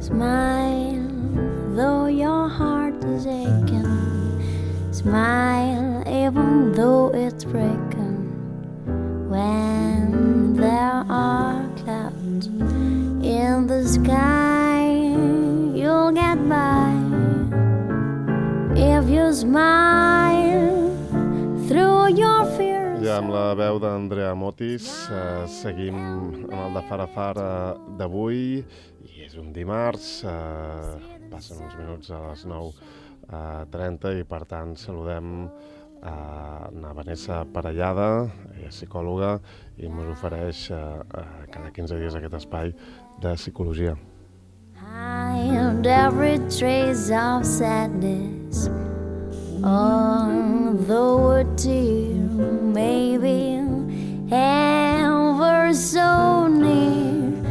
Smile, though your heart is aching. Smile, even though it's breaking. When there are clouds in the sky, you'll get by. If you smile through your fears. Ja amb la veu d'Andrea Motis seguim amb el de Fara Fara d'avui i és un dimarts, passen uns minuts a les 9:30 i per tant saludem a Vanessa Parellada, ella és psicòloga i ens ofereix cada 15 dies aquest espai de psicologia. Hide every trace of sadness, although a tear may be ever so near.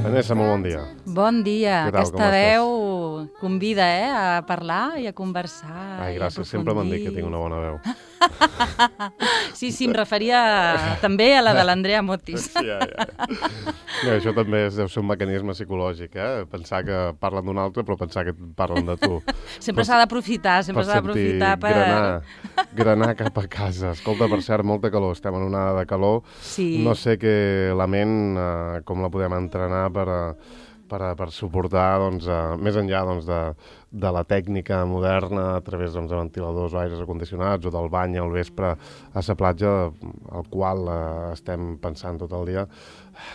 Vanessa, molt bon dia. Bon dia. Què tal, Aquesta veu convida a parlar i a conversar. Ai, gràcies, sempre m'han dit que tinc una bona veu. Sí, em referia també a la de l'Andrea Motis. Sí, ja. No, això també deu ser un mecanisme psicològic, pensar que parlen d'un altre però pensar que parlen de tu. Sempre s'ha d'aprofitar, per... Granar cap a casa. Escolta, per cert, molta calor, estem en una onada de calor. Sí. No sé que la ment, com la podem entrenar per suportar, més enllà de la tècnica moderna a través de ventiladors o aires acondicionats o del bany al vespre a la platja, al qual estem pensant tot el dia.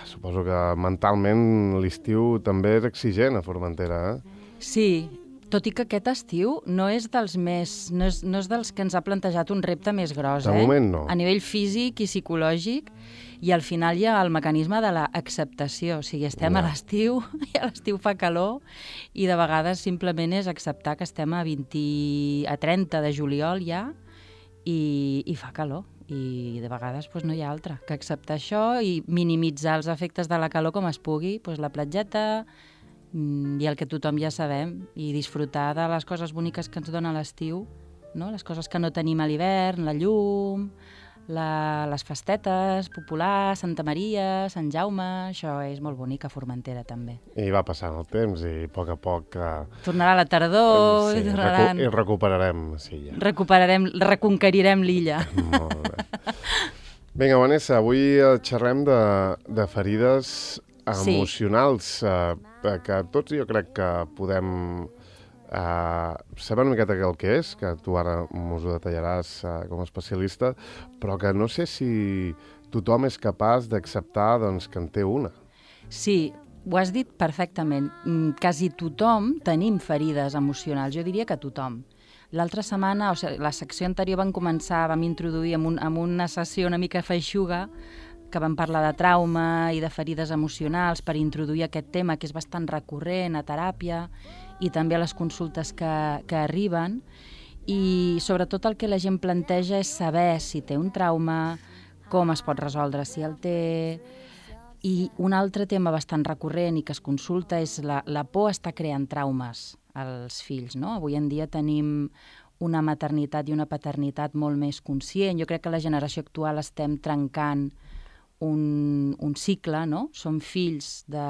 Suposo que mentalment l'estiu també és exigent a Formentera, Sí, tot i que aquest estiu no és dels que ens ha plantejat un repte més gros. De moment no. A nivell físic i psicològic, i al final hi ha el mecanisme de l'acceptació. O sigui, estem a l'estiu, i a l'estiu fa calor, i de vegades simplement és acceptar que estem a 30 de juliol ja, i fa calor. I de vegades no hi ha altra que acceptar això i minimitzar els efectes de la calor com es pugui, la platgeta i el que tothom ja sabem, i disfrutar de les coses boniques que ens dona l'estiu, no? Les coses que no tenim a l'hivern, la llum, les festetes populars, Santa Maria, Sant Jaume, això és molt bonic a Formentera també. I va passant el temps i a poc... Tornarà la tardor, sí, i recuperarem, sí, ja. Reconquerirem l'illa. Molt bé. Vinga, Vanessa, avui xerrem de ferides emocionals, que tots jo crec que podem saber una miqueta el que és, que tu ara m'ho detallaràs com a especialista, però que no sé si tothom és capaç d'acceptar que en té una. Sí, ho has dit perfectament. Quasi tothom tenim ferides emocionals, jo diria que tothom. L'altra setmana, la secció anterior vam introduir amb una sessió una mica feixuga, que vam parlar de trauma i de ferides emocionals per introduir aquest tema que és bastant recurrent a teràpia i també a les consultes que arriben, i sobretot el que la gent planteja és saber si té un trauma, com es pot resoldre si el té. I un altre tema bastant recurrent i que es consulta és la por està creant traumes als fills, no? Avui en dia tenim una maternitat i una paternitat molt més conscient. Jo crec que la generació actual estem trencant un cicle, no? Som fills de...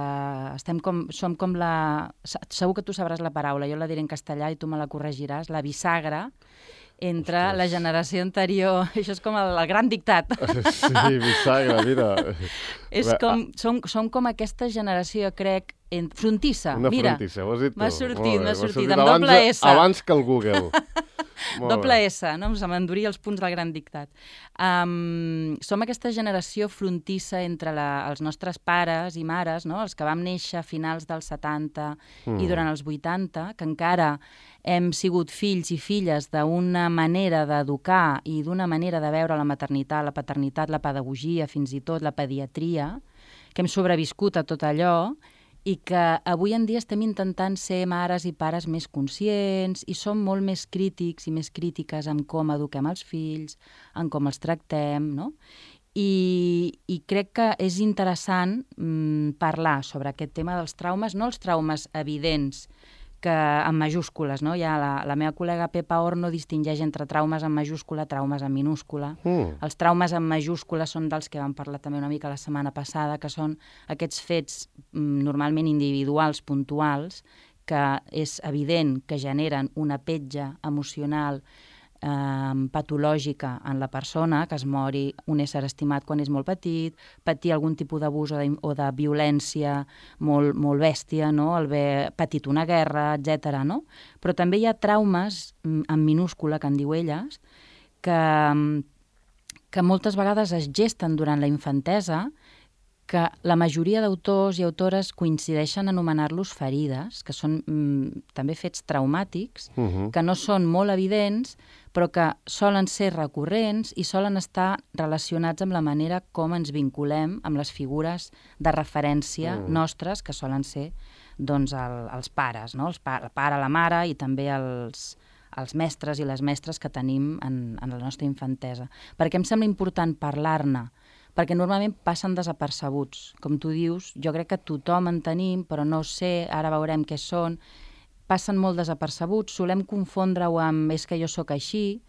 Som com la... Segur que tu sabràs la paraula, jo la diré en castellà i tu me la corregiràs, la bisagra entre la generació anterior. Això és com el gran dictat. Sí, bisagra, mira. Som com aquesta generació, crec, frontissa. Una Mira, frontissa, ho has dit tu. M'ha sortit, amb doble S. Abans que el Google. Doble S, no? Se m'enduria els punts del gran dictat. Som aquesta generació frontissa entre els nostres pares i mares, no? Els que vam néixer a finals dels 70 i durant els 80, que encara hem sigut fills i filles d'una manera d'educar i d'una manera de veure la maternitat, la paternitat, la pedagogia, fins i tot la pediatria, que hem sobreviscut a tot allò, i que avui en dia estem intentant ser mares i pares més conscients i som molt més crítics i més crítiques en com eduquem els fills, en com els tractem, no? I crec que és interessant parlar sobre aquest tema dels traumes, no els traumes evidents, que en majúscules, no? Ja la meva col·lega Pepa Horno distingeix entre traumes en majúscula, traumes en minúscula. Els traumes en majúscula són dels que vam parlar també una mica la setmana passada, que són aquests fets normalment individuals, puntuals, que és evident que generen una petja emocional patològica en la persona, que es mori un ésser estimat quan és molt petit, patir algun tipus d'abús o de violència molt bèstia, no? El haver patit una guerra, etc. No? Però també hi ha traumes, en minúscula, que en diu elles, que moltes vegades es gesten durant la infantesa, que la majoria d'autors i autores coincideixen en anomenar-los ferides, que són també fets traumàtics, que no són molt evidents, però que solen ser recurrents i solen estar relacionats amb la manera com ens vinculem amb les figures de referència nostres, que solen ser doncs, els pares, no? El pare, la mare i també els mestres i les mestres que tenim en la nostra infantesa. Perquè em sembla important parlar-ne, perquè normalment passen desapercebuts. Com tu dius, jo crec que tothom en tenim, però no sé, ara veurem què són. Passen molt desapercebuts, solem confondre-ho amb és que jo sóc així,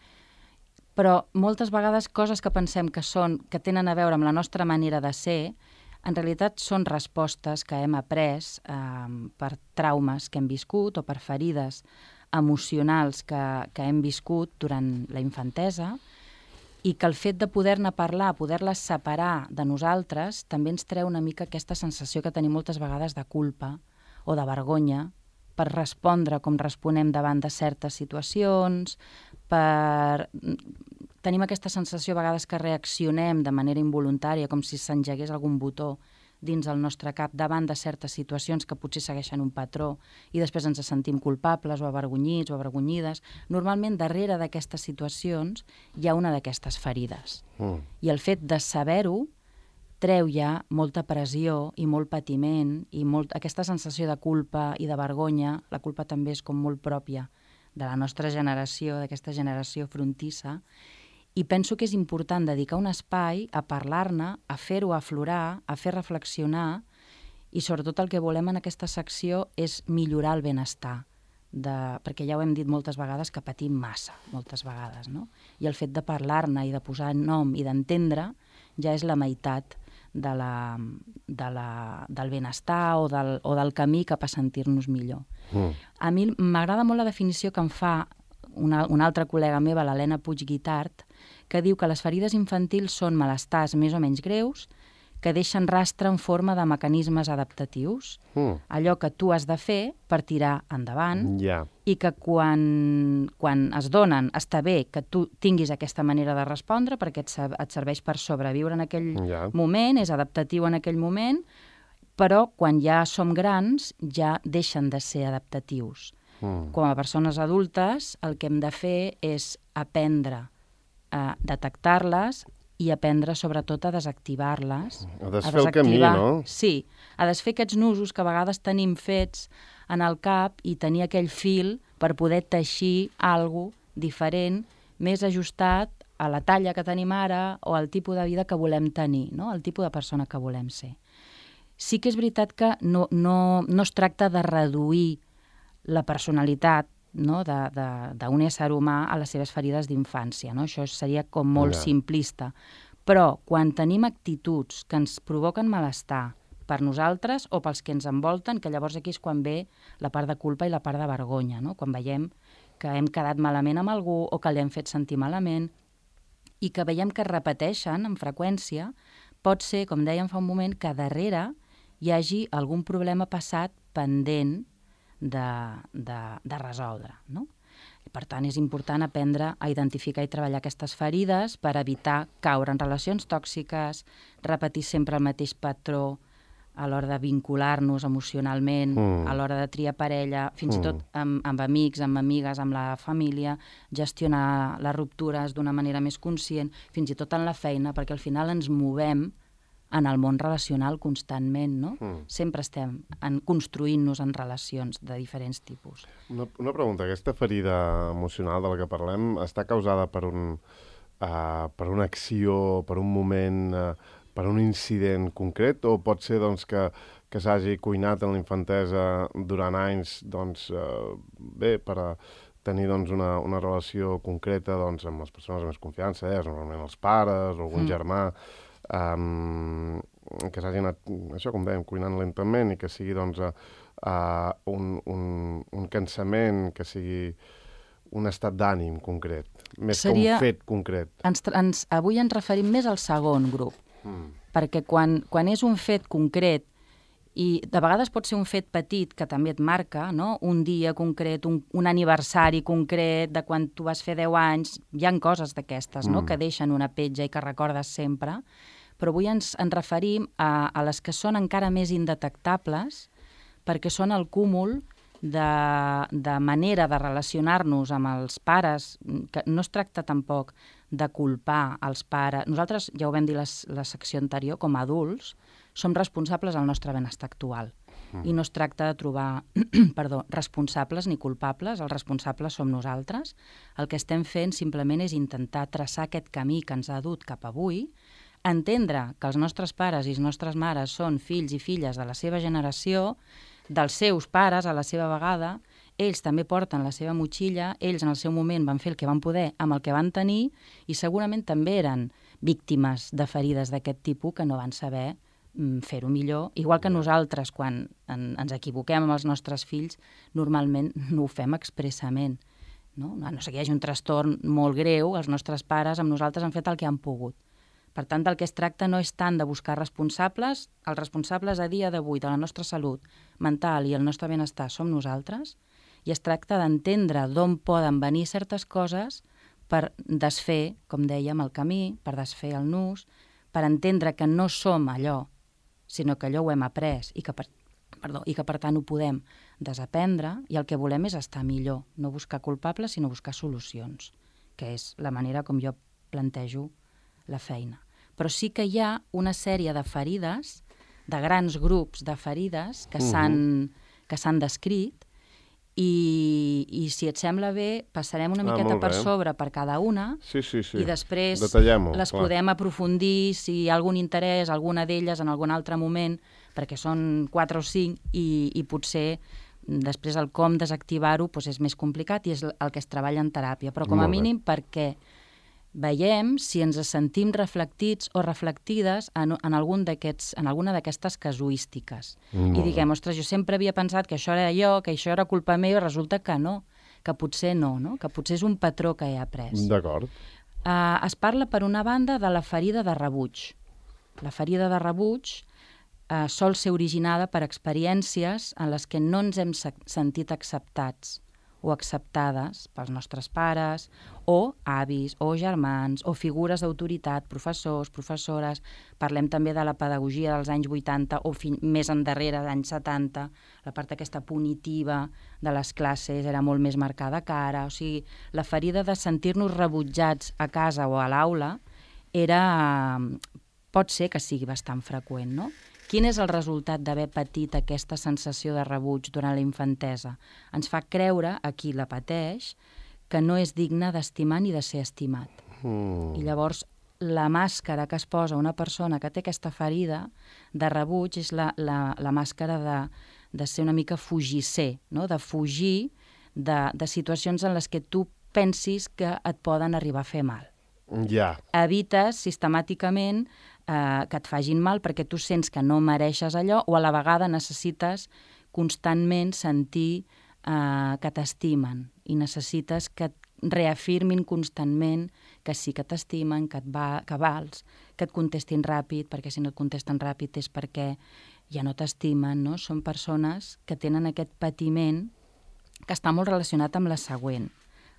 però moltes vegades coses que pensem que tenen a veure amb la nostra manera de ser, en realitat són respostes que hem après per traumes que hem viscut o per ferides emocionals que hem viscut durant la infantesa, i que el fet de poder-ne parlar, poder-les separar de nosaltres, també ens treu una mica aquesta sensació que tenim moltes vegades de culpa o de vergonya per respondre com responem davant de certes situacions, tenim aquesta sensació a vegades que reaccionem de manera involuntària, com si s'engegués algun botó dins el nostre cap davant de certes situacions que potser segueixen un patró i després ens sentim culpables o avergonyits o avergonyides. Normalment, darrere d'aquestes situacions hi ha una d'aquestes ferides. I el fet de saber-ho treu ja molta pressió i molt patiment i aquesta sensació de culpa i de vergonya. La culpa també és com molt pròpia de la nostra generació, d'aquesta generació frontissa, i penso que és important dedicar un espai a parlar-ne, a fer-ho aflorar, a fer reflexionar, i sobretot el que volem en aquesta secció és millorar el benestar, perquè ja ho hem dit moltes vegades que patim massa, moltes vegades, no? I el fet de parlar-ne i de posar nom i d'entendre ja és la meitat del benestar o del camí cap a sentir-nos millor. A mi m'agrada molt la definició que em fa una altra col·lega meva, l'Helena Puig Guitart, que diu que les ferides infantils són malestars més o menys greus que deixen rastre en forma de mecanismes adaptatius. Allò que tu has de fer per tirar endavant i que quan es donen està bé que tu tinguis aquesta manera de respondre perquè et serveix per sobreviure en aquell moment, és adaptatiu en aquell moment, però quan ja som grans ja deixen de ser adaptatius. Com a persones adultes el que hem de fer és aprendre a detectar-les i aprendre sobretot a desactivar-les. A desfer el camí, no? Sí, a desfer aquests nusos que a vegades tenim fets en el cap i tenir aquell fil per poder teixir alguna cosa diferent, més ajustat a la talla que tenim ara o al tipus de vida que volem tenir, no? El tipus de persona que volem ser. Sí que és veritat que no es tracta de reduir la personalitat, no, d'un ésser humà a les seves ferides d'infància, no? Això seria com molt simplista. Però quan tenim actituds que ens provoquen malestar per nosaltres o pels que ens envolten, que llavors aquí és quan ve la part de culpa i la part de vergonya, no? Quan veiem que hem quedat malament amb algú o que li hem fet sentir malament i que veiem que es repeteixen amb freqüència, pot ser, com dèiem fa un moment, que darrere hi hagi algun problema passat pendent de resoldre, no? I per tant, és important aprendre a identificar i treballar aquestes ferides per evitar caure en relacions tòxiques, repetir sempre el mateix patró a l'hora de vincular-nos emocionalment, a l'hora de triar parella, fins i tot amb amics, amb amigues, amb la família, gestionar les ruptures d'una manera més conscient, fins i tot en la feina, perquè al final ens movem en el món relacional constantment, no? Sempre estem construint-nos en relacions de diferents tipus. Una pregunta, aquesta ferida emocional de la que parlem està causada per una acció, per un moment, per un incident concret, o pot ser doncs, que s'hagi cuinat en la infantesa durant anys bé, per tenir una relació concreta amb les persones de més confiança, normalment els pares o algun germà, que s'hagi anat, això com dèiem, cuinant lentament i que sigui un cansament, que sigui un estat d'ànim concret, més que Seria... un fet concret. Avui ens referim més al segon grup, perquè quan és un fet concret, i de vegades pot ser un fet petit que també et marca, no? Un dia concret, un aniversari concret de quan tu vas fer 10 anys, hi ha coses d'aquestes, no? Que deixen una petja i que recordes sempre, però avui ens referim a les que són encara més indetectables perquè són el cúmul de manera de relacionar-nos amb els pares, que no es tracta tampoc de culpar els pares. Nosaltres, ja ho vam dir la secció anterior, com a adults, som responsables del nostre benestar actual. I no es tracta de trobar responsables ni culpables, els responsables som nosaltres. El que estem fent simplement és intentar traçar aquest camí que ens ha dut cap avui, entendre que els nostres pares i les nostres mares són fills i filles de la seva generació, dels seus pares a la seva vegada, ells també porten la seva motxilla, ells en el seu moment van fer el que van poder amb el que van tenir i segurament també eren víctimes de ferides d'aquest tipus que no van saber fer-ho millor, igual que nosaltres quan ens equivoquem amb els nostres fills normalment no ho fem expressament, no? A no ser que hi hagi un trastorn molt greu, els nostres pares amb nosaltres han fet el que han pogut. Per tant, del que es tracta no és tant de buscar responsables, els responsables a dia d'avui de la nostra salut mental i el nostre benestar som nosaltres, i es tracta d'entendre d'on poden venir certes coses per desfer, com dèiem, el camí, per desfer el nus, per entendre que no som allò, sinó que allò ho hem après i que per tant ho podem desaprendre i el que volem és estar millor, no buscar culpables sinó buscar solucions, que és la manera com jo plantejo la feina. Però sí que hi ha una sèrie de ferides, de grans grups de ferides que s'han descrit i si et sembla bé passarem una miqueta per sobre per cada una i després les podem aprofundir si hi ha algun interès, alguna d'elles en algun altre moment, perquè són 4 o 5 i potser després el com desactivar-ho és més complicat i és el que es treballa en teràpia, però com a mínim perquè veiem si ens sentim reflectits o reflectides en alguna d'aquestes casuístiques. I diguem, ostres, jo sempre havia pensat que això era jo, que això era culpa meva, i resulta que no, que potser no, que potser és un patró que he après. D'acord. Es parla, per una banda, de la ferida de rebuig. La ferida de rebuig sol ser originada per experiències en les que no ens hem sentit acceptats o acceptades pels nostres pares, o avis, o germans, o figures d'autoritat, professors, professores. Parlem també de la pedagogia dels anys 80 o més endarrere, anys 70. La part aquesta punitiva de les classes era molt més marcada que ara. O sigui, la ferida de sentir-nos rebutjats a casa o a l'aula pot ser que sigui bastant freqüent, no? Quin és el resultat d'haver patit aquesta sensació de rebuig durant la infantesa? Ens fa creure, a qui la pateix, que no és digne d'estimar ni de ser estimat. I llavors la màscara que es posa una persona que té aquesta ferida de rebuig és la màscara de ser una mica fugisser, no? De fugir de situacions en les que tu pensis que et poden arribar a fer mal. Ja. Evites sistemàticament que et facin mal perquè tu sents que no mereixes allò o a la vegada necessites constantment sentir que t'estimen i necessites que et reafirmin constantment que sí que t'estimen, que vals, que et contestin ràpid, perquè si no et contesten ràpid és perquè ja no t'estimen, no? Són persones que tenen aquest patiment que està molt relacionat amb la següent.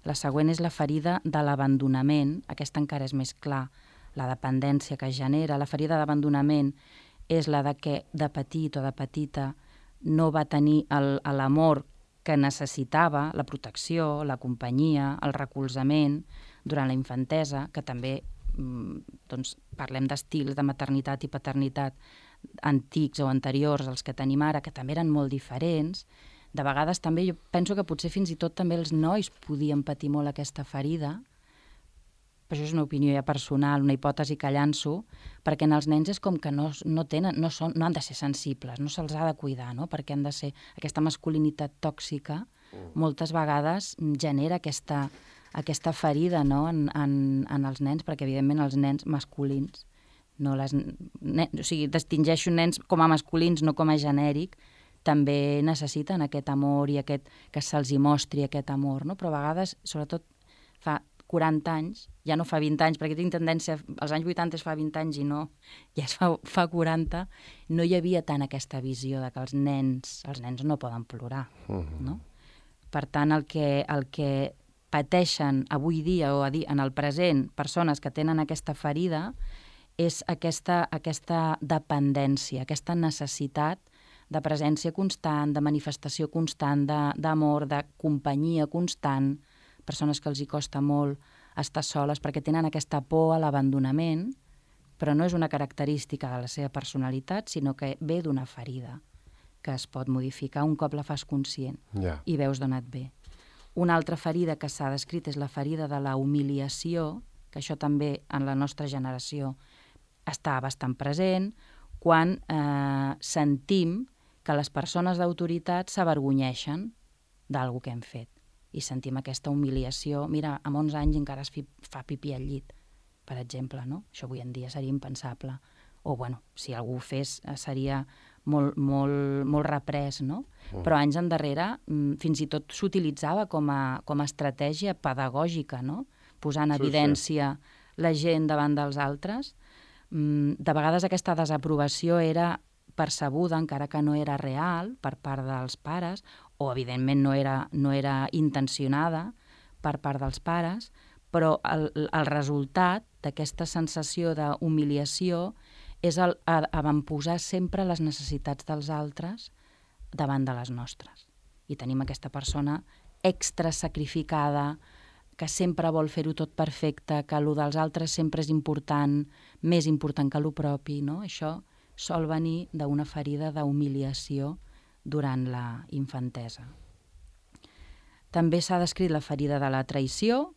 La següent és la ferida de l'abandonament, aquesta encara és més clar, la dependència que es genera. La ferida d'abandonament és la de que de petit o de petita no va tenir l'amor que necessitava, la protecció, la companyia, el recolzament durant la infantesa, que també parlem d'estils de maternitat i paternitat antics o anteriors als que tenim ara, que també eren molt diferents. De vegades també jo penso que potser fins i tot també els nois podien patir molt aquesta ferida, però això és una opinió ja personal, una hipòtesi que llanço, perquè en els nens és com que no han de ser sensibles, no se'ls ha de cuidar, no? Perquè han de ser aquesta masculinitat tòxica, moltes vegades genera aquesta ferida, no? en els nens, perquè evidentment els nens masculins, o sigui, distingeixo nens com a masculins, no com a genèric, també necessiten aquest amor i que se'ls hi mostri aquest amor, no? Però a vegades, sobretot fa 40 anys, ja no fa 20 anys, perquè tinc tendència, als anys 80 es fa 20 anys i no, ja es fa 40, no hi havia tant aquesta visió de que els nens no poden plorar, no? Per tant, el que pateixen avui dia o en el present persones que tenen aquesta ferida és aquesta dependència, aquesta necessitat de presència constant, de manifestació constant, d'amor, de companyia constant, persones que els hi costa molt estar soles perquè tenen aquesta por a l'abandonament, però no és una característica de la seva personalitat, sinó que ve d'una ferida que es pot modificar un cop la fas conscient i veus d'on et ve. Una altra ferida que s'ha descrit és la ferida de la humiliació, que això també en la nostra generació està bastant present, quan sentim que les persones d'autoritat s'avergonyeixen d'alguna que hem fet i sentim aquesta humiliació. Mira, amb 11 anys encara es fa pipí al llit, per exemple, no? Això avui en dia seria impensable. O, bueno, si algú ho fes seria molt reprès, no? Però anys endarrere fins i tot s'utilitzava com a estratègia pedagògica, no? Posar en evidència la gent davant dels altres. De vegades aquesta desaprovació era percebuda, encara que no era real, per part dels pares, o evidentment no era intencionada per part dels pares, però el resultat d'aquesta sensació d'humiliació és avantposar sempre les necessitats dels altres davant de les nostres. I tenim aquesta persona extra sacrificada, que sempre vol fer-ho tot perfecte, que el dels altres sempre és important, més important que el propi, no? Això sol venir d'una ferida d'humiliació durant la infantesa. També s'ha descrit la ferida de la traïció,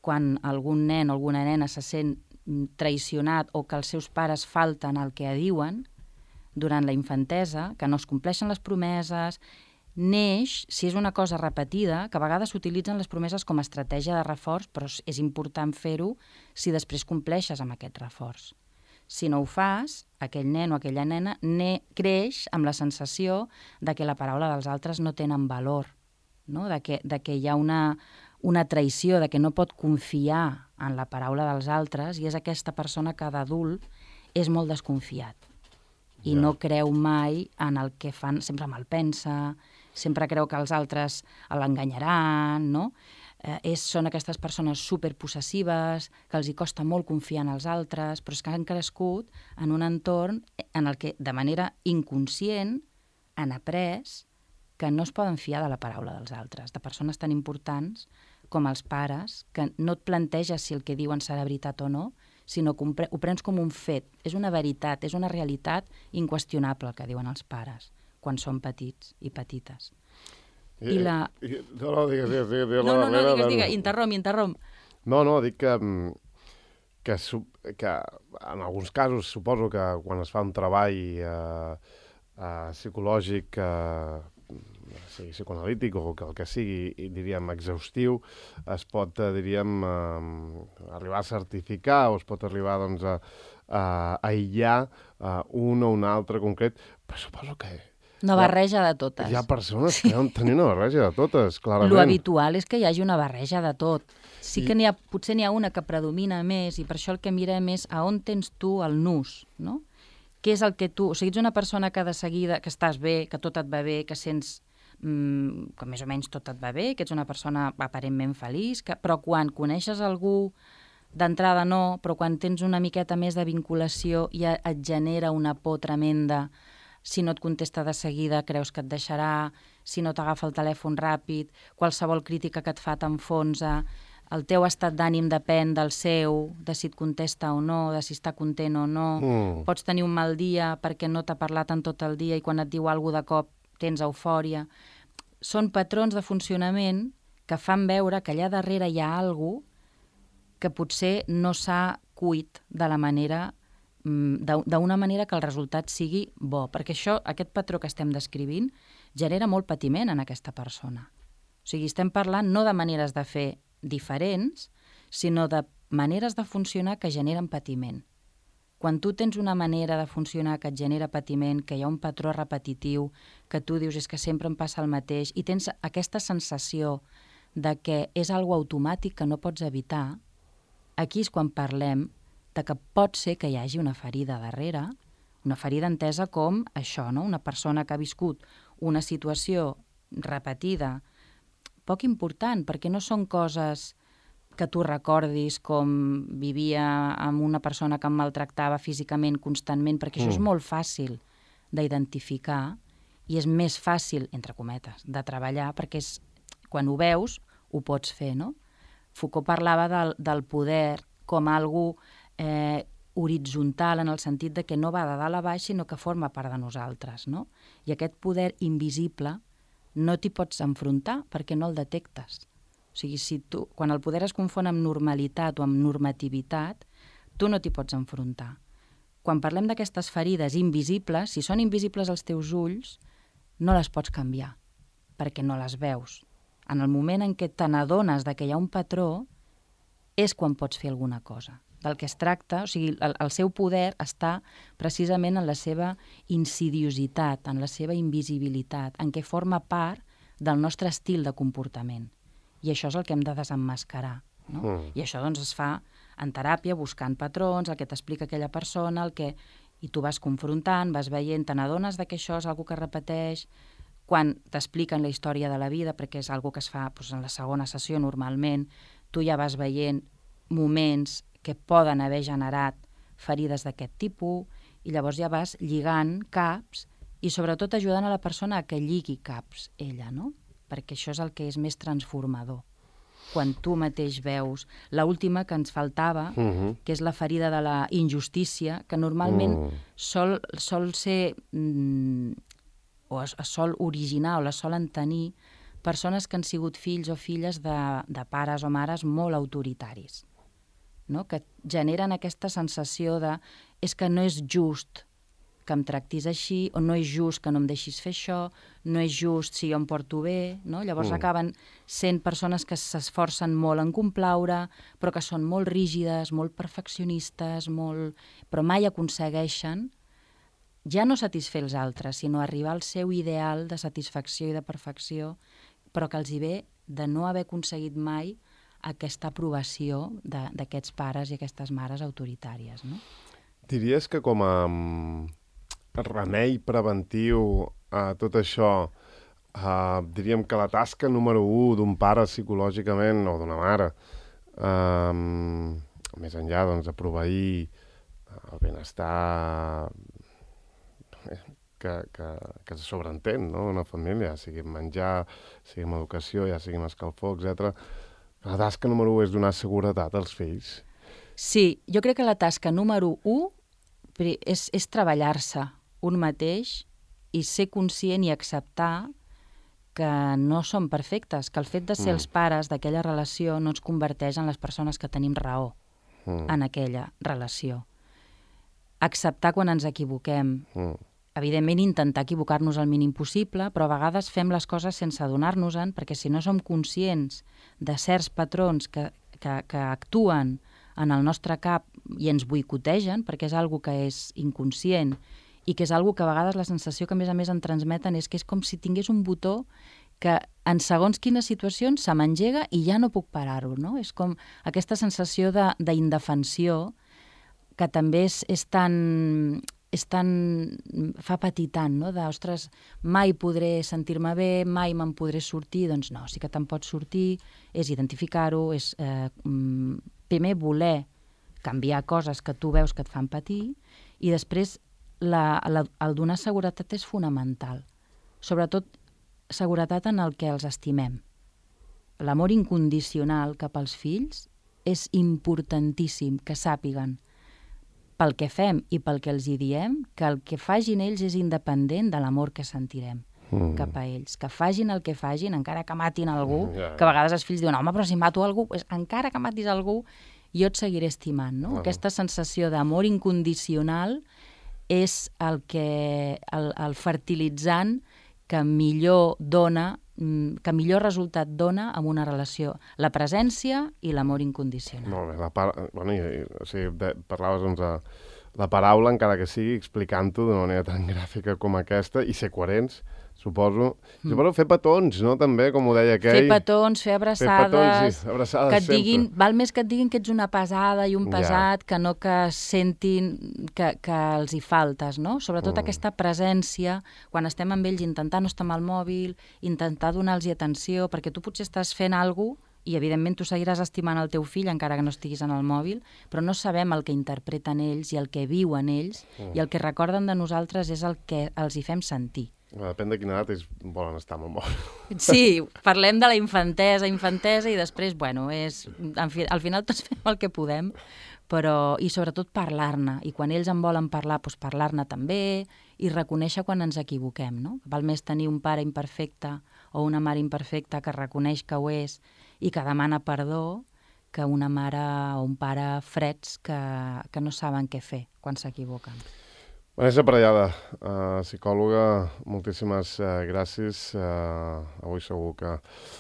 quan algun nen o alguna nena se sent traicionat o que els seus pares falten el que diuen durant la infantesa, que no es compleixen les promeses, neix, si és una cosa repetida, que a vegades s'utilitzen les promeses com a estratègia de reforç, però és important fer-ho si després compleixes amb aquest reforç. Si no ho fas, aquell nen o aquella nena creix amb la sensació de que la paraula dels altres no tenen valor, no? De que hi ha una traïció, de que no pot confiar en la paraula dels altres, i és aquesta persona que d'adult és molt desconfiat i no creu mai en el que fan, sempre malpensa, sempre creu que els altres l'enganyaran, no? Són aquestes persones superpossessives, que els hi costa molt confiar en els altres, però és que han crescut en un entorn en el que, de manera inconscient, han après que no es poden fiar de la paraula dels altres, de persones tan importants com els pares, que no et planteges si el que diuen serà veritat o no, sinó que ho prens com un fet. És una veritat, és una realitat inqüestionable el que diuen els pares quan són petits i petites. No, digues, interromp. No, dic que en alguns casos suposo que quan es fa un treball psicològic, sigui psicoanalític o el que sigui, diríem, exhaustiu, es pot, diríem, arribar a certificar o es pot arribar, doncs, a aïllar un o un altre concret, però suposo que una barreja de totes. Hi ha persones que deuen tenir una barreja de totes, clarament. Lo habitual és que hi hagi una barreja de tot. Sí que potser n'hi ha una que predomina més i per això el que mirem és a on tens tu el nus, no? Què és el que tu... O sigui, ets una persona que de seguida, que estàs bé, que tot et va bé, que sents que més o menys tot et va bé, que ets una persona aparentment feliç, però quan coneixes algú, d'entrada no, però quan tens una miqueta més de vinculació ja et genera una por tremenda. Si no et contesta de seguida creus que et deixarà, si no t'agafa el telèfon ràpid, qualsevol crítica que et fa t'enfonsa, el teu estat d'ànim depèn del seu, de si et contesta o no, de si està content o no, pots tenir un mal dia perquè no t'ha parlat en tot el dia i quan et diu alguna cosa de cop tens eufòria. Són patrons de funcionament que fan veure que allà darrere hi ha alguna que potser no s'ha cuit de la manera d'una manera que el resultat sigui bo, perquè aquest patró que estem descrivint genera molt patiment en aquesta persona. O sigui, estem parlant no de maneres de fer diferents, sinó de maneres de funcionar que generen patiment. Quan tu tens una manera de funcionar que et genera patiment, que hi ha un patró repetitiu, que tu dius és que sempre em passa el mateix, i tens aquesta sensació de que és algo automàtic que no pots evitar, aquí és quan parlem de que pot ser que hi hagi una ferida darrere, una ferida entesa com això, no? Una persona que ha viscut una situació repetida, poc important, perquè no són coses que tu recordis com vivia amb una persona que em maltractava físicament constantment, perquè això és molt fàcil d'identificar i és més fàcil, entre cometes, de treballar, perquè quan ho veus ho pots fer, no? Foucault parlava del poder com algo horitzontal en el sentit de que no va de dalt a baix, sinó que forma part de nosaltres, no? I aquest poder invisible no t'hi pots enfrontar perquè no el detectes. O sigui, quan el poder es confon amb normalitat o amb normativitat, tu no t'hi pots enfrontar. Quan parlem d'aquestes ferides invisibles, si són invisibles als teus ulls, no les pots canviar, perquè no les veus. En el moment en què te n'adones que hi ha un patró, és quan pots fer alguna cosa. Del que es tracta, o sigui, el seu poder està precisament en la seva insidiositat, en la seva invisibilitat, en què forma part del nostre estil de comportament. I això és el que hem de desemmascarar, no? I això doncs es fa en teràpia, buscant patrons, el que t'explica aquella persona, i tu vas confrontant, vas veient, te n'adones que això és algo que repeteix, quan t'expliquen la història de la vida, perquè és algo que es fa en la segona sessió normalment, tu ja vas veient moments que poden haver generat ferides d'aquest tipus, i llavors ja vas lligant caps i sobretot ajudant a la persona a que lligui caps ella, no? Perquè això és el que és més transformador. Quan tu mateix veus l'última que ens faltava, que és la ferida de la injustícia, que normalment sol ser, o es sol originar o la solen tenir persones que han sigut fills o filles de pares o mares molt autoritaris, no? Que generen aquesta sensació de és que no és just que em tractis així, o no és just que no em deixis fer això, no és just si jo em porto bé, no? Llavors acaben sent persones que s'esforcen molt en complaure, però que són molt rígides, molt perfeccionistes, però mai aconsegueixen ja no satisfer els altres, sinó arribar al seu ideal de satisfacció i de perfecció, però que els hi ve de no haver aconseguit mai aquesta aprovació d'aquests pares i aquestes mares autoritàries, no? Diries que com a remei preventiu a tot això, diríem que la tasca número 1 d'un pare psicològicament o d'una mare, més enllà de proveir el benestar que se sobreentén, no? Una família, sigui menjar, sigui amb educació, ja sigui amb escalfor, etc. La tasca número 1 és donar seguretat als fills. Sí, jo crec que la tasca número 1 és treballar-se un mateix i ser conscient i acceptar que no som perfectes, que el fet de ser els pares d'aquella relació no ens converteix en les persones que tenim raó en aquella relació. Acceptar quan ens equivoquem. Evidentment, intentar equivocar-nos el mínim possible, però a vegades fem les coses sense adonar-nos-en, perquè si no som conscients de certs patrons que actuen en el nostre cap i ens boicotegen, perquè és algo que és inconscient i que és algo que a vegades la sensació que a més en transmeten és que és com si tingués un botó que en segons quines situacions se m'engega i ja no puc parar-ho, no? És com aquesta sensació d'indefensió que també és tan fa patir tant, no? Ostres, mai podré sentir-me bé, mai me'n podré sortir. Doncs no, sí que te'n pots sortir, és identificar-ho, és primer voler canviar coses que tu veus que et fan patir i després el donar seguretat és fonamental. Sobretot seguretat en el que els estimem. L'amor incondicional cap als fills és importantíssim que sàpiguen pel que fem i pel que els hi diem, que el que facin ells és independent de l'amor que sentirem cap a ells. Que facin el que facin, encara que matin algú, que a vegades els fills diuen, home, però si mato algú, encara que matis algú, jo et seguiré estimant, no? Aquesta sensació d'amor incondicional és el fertilitzant que millor dona, que millor resultat dona en una relació. La presència i l'amor incondicional. Molt bé. Parlaves la paraula, encara que sigui explicant-ho d'una manera tan gràfica com aquesta, i ser coherents, suposo. Suposo fer petons, no?, també, com ho deia aquell. Fer petons, fer abraçades, petons, sí, abraçades que et diguin, sempre. val més que et diguin que ets una pesada i un pesat, que no que sentin que els hi faltes, no? Sobretot aquesta presència, quan estem amb ells, intentar no estar amb el mòbil, intentar donar-los atenció, perquè tu potser estàs fent alguna cosa i, evidentment, tu seguiràs estimant el teu fill encara que no estiguis en el mòbil, però no sabem el que interpreten ells i el que viuen ells, i el que recorden de nosaltres és el que els hi fem sentir. Depèn de quina edat volen estar amb el mòbil. Sí, parlem de la infantesa, i després, bueno, al final tots fem el que podem, però, i sobretot parlar-ne, i quan ells en volen parlar, doncs parlar-ne també, i reconèixer quan ens equivoquem, no? Val més tenir un pare imperfecte o una mare imperfecta que reconeix que ho és i que demana perdó, que una mare o un pare freds que no saben què fer quan s'equivoquen. Vanessa Parellada, psicòloga, moltíssimes gràcies. Avui segur que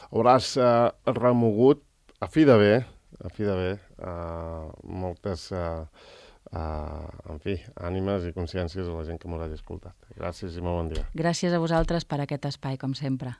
hauràs remogut, a fi de bé, moltes, ànimes i consciències de la gent que m'ho hagi escoltat. Gràcies i molt bon dia. Gràcies a vosaltres per aquest espai, com sempre.